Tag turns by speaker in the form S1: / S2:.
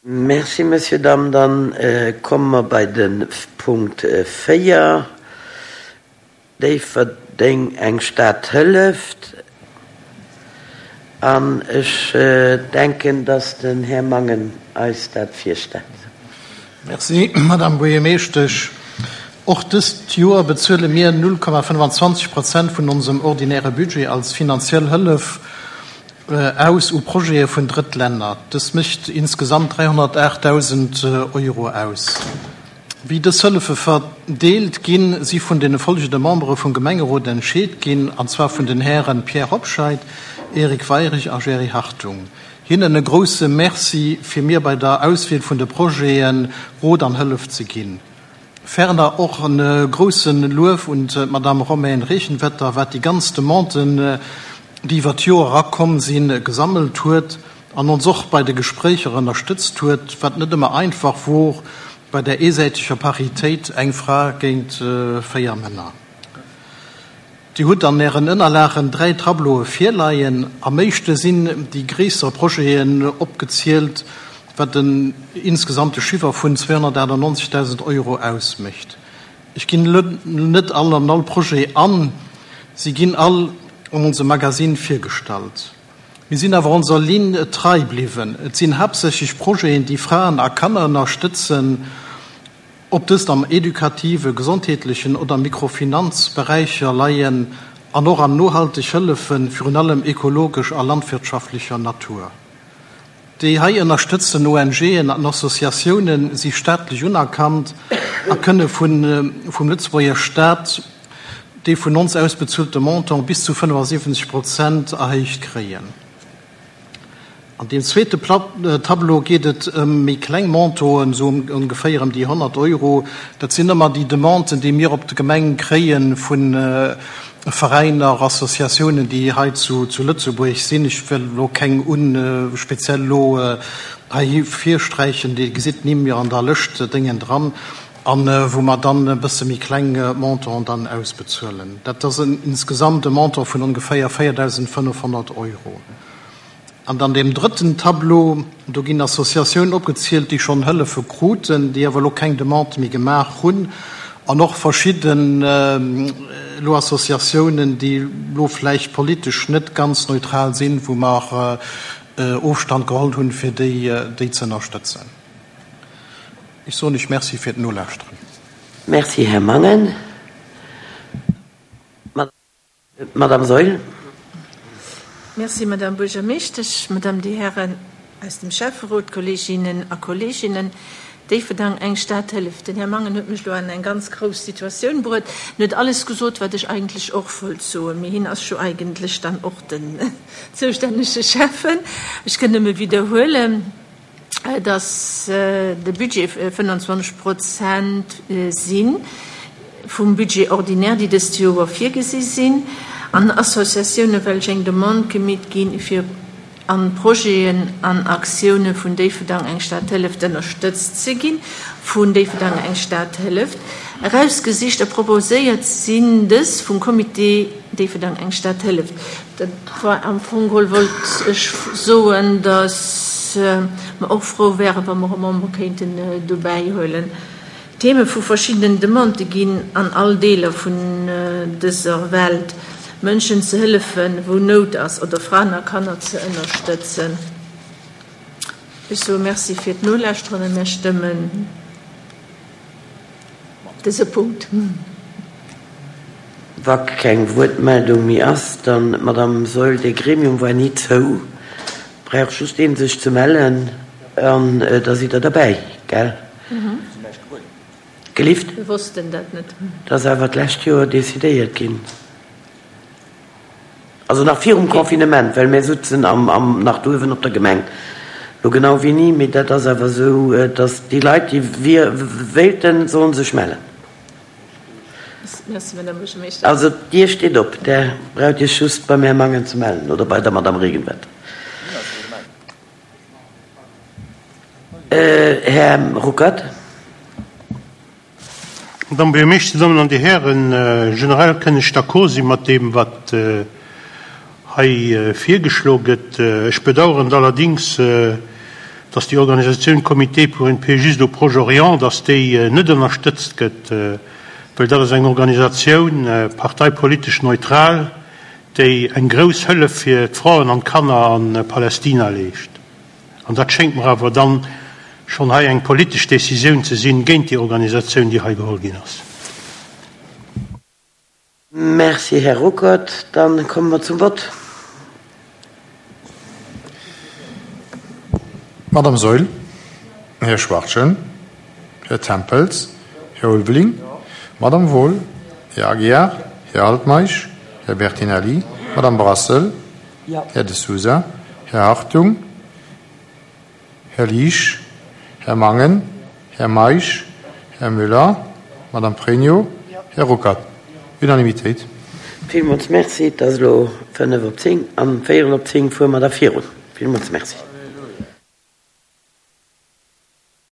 S1: Merci, Monsieur Dahm. Dann komme mer bei de Punkt 4, Déifferdeng, eng Stad hëlleft. An ech denken, dass den Här Mangen eis dat virstellt.
S2: Merci, Madame Buergermeeschtesch. Och dëst Joer bezuele mir 0,25 Prozent vun onsem ordinäre Budget als finanziell Hëllef aus u Projete vun Drëttlänner. Dës mécht insgesamt 308.000 Euro aus. Wéi dës Hëllefe verdeelt ginn, si vun de folgende Membere vum Gemengerot entscheet ginn, an zwar vun den Hären Pierre Hobscheit, Eric Weirich a Jerry Hartung. Hinnen e grousse Merci fir mir bei der Auswiel vun de Projete Rot an Hëllef ze ginn. Ferner och e grousse Luef un d'Madame Romaine Regenwetter, wat déi ganz Demanden, déi iwwer d'Joer era komm sinn, gesammelt huet an ons och bei de Gespréicher ënnerstëtzt huet, wat net ëmmer einfach wor bei där eesäiteger Paritéit, eng Fra géint 4 Männer. Dir hutt an Ären Ënnerlagen 3 Tableaue virleien. Am éischte sinn déi gréisser Projeten opgezielt, wat en insgesamte Chiffer vun 298.000 Euro ausmécht. Ech ginn elo net all an all Projet an, si ginn all an onsem Magazine virgestallt. Mir sinn awer onser Linn trei bliwwen. Et sinn haaptsächlech Projeten, déi Fraen a Kanner ënnerstëtzen, ob dëst am edukative, gesondheetlechen oder Mikrofinanzberäicher leien an och an nohalteg Hëllefen, virun allem ekologesch a landwirtschaftlecher Natur. Déi hei ënnerstëtzten ONGen an Associatiounen si staatlech unerkannt a kënne vum Lëtzebuerger Staat dee vun ons ausbezuelte Montant bis zu 75 Prozent erhéicht kréien. An deem zweete Tableau geet et ëm méi kleng Montanten, esou ongeféier ëm déi 100 Euro. Dat sinn ëmmer déi Demanden, déi mir op d'Gemeng kréie vu Veräiner, Associatiounen, déi hei zu Lëtzebuerg sinn. Ech wëll elo keng speziell elo hei ervirsträichen, Dir gesitt d'Nimm jo an der Lëscht déngen dran, a wou mer dann e bësse méi kleng Montanten dann ausbezuelen. Dat ass insgesamt e Montant vun ongeféier 4.500 Euro. An dann deem drëtten Tableau, do ginn Associatiounen opgezielt, déi schonn Hëllefe kruten, déi awer elo keng Demande méi gemaach hunn, an och verschidden elo Associatiounen, déi elo vläicht politesch net ganz neutral sinn, wou mer Ofstand geholl hunn, fir déi ze ënnerstëtzen. Ech soen lech Merci fir d'Nolauschteren.
S1: Merci, Här Mangen. D'Madame Saeul.
S3: Merci, Madame Buergermeeschtesch, Madame, Dir Hären aus dem Schäfferot, Kolleeginnen a Kolleeginnen. Déifferdang, eng Stad hëlleft. Den Här Mangen huet mech elo an eng ganz grouss Situatioun bruet. En huet alles gesot, wat ech eigentlech och wollt soen, mee hien ass jo eigentlech dann och den zoustännege Schäffen. Ech kënn nëmme widderhuelen. dass de Budget 25 Prozent si vum Budget ordinaire, déi dëst Joer virgesi sinn, an Associatioune welch eng Demande gemeet ginn, fir an Projeten an Aktioune vun Déifferdang eng Stad hëlleft ënnerstëtzt ze ginn. Vun Déifferdang eng Stad hëlleft erausgesicht a proposéiert sinn dës vum Comité Déifferdang eng Stad hëlleft. Dat war am Fong geholl, wollt ech soen, datt mer och frou wären, wa mer e Member kéinten dobäi huelen. D'Theme vu verschiddenen Demandë ginn an all Deeler vun dëser Welt, Mënschen ze hëllefen, wou Nout ass, oder Fraen a Kanner ze ënnerstëtzen. Ech soe Merci fir d'Nolauschteren a mir stëmmen dëse Punkt.
S1: Wa keng Wuertmeldung méi ass, dann, Madame Saeul, dee Gremium war ni zou, brauch just een sech ze mellen an da sidd Der derbäi, gell? Gelift?
S3: Mir wossten dat net.
S1: Dat ass awer d'lescht Joer decidéiert ginn. Also nach virum Confinement, well mär sutzen am, am, nach douewen op der Gemeng. Lo genau wéini, mee dat ass awer esou, datt déi Leit, déi wier, wéilten, sollen sech mellen.
S3: Merci, Madame Buergermeeschter.
S1: Also d'Dier steet op, där braucht Iech just beim Här Mangen ze mellen oder bei der Madame Regenwetter. Här Ruckert.
S4: Madame Buergermeeschter, Dir Dammen an Dir Hären, generell kënn ech d'accord si mat deem, wat hei virgeschlo gëtt. Ech bedauern allerdings. Dass déi Organisatioun Comité pour une paix juste au Proche-Orient, dass déi net ënnerstëtzt gëtt, well dat ass eng Organisatioun, parteipolitesch neutral, déi eng grouss Hëllef fir d'Fraen an d'Kanner a Palästina leescht. An dat schéngt mer awer dann schonn hei eng politesch Décisioun ze sinn géint déi Organisatioun, déi hei geholl ginn ass.
S1: Merci, Här Ruckert. Dann komme mer zum Vott.
S5: Madame Saeul, Här Schwachtgen, Här Tempels, Här Ulveling, Madame Wohl, Här Aguiar, Här Altmeisch, Här Bertinelli, Madame Brassel, Här De Sousa, Här Hartung, Här Liesch, Här Mangen, Här Meisch, Här Müller, Madame Pregno, Här Ruckert. Unanimitéit.
S1: Villmools Merci. Et ass elo fënnef op zéng. An véierel op zéng fuere mer da virun. Villmools Merci.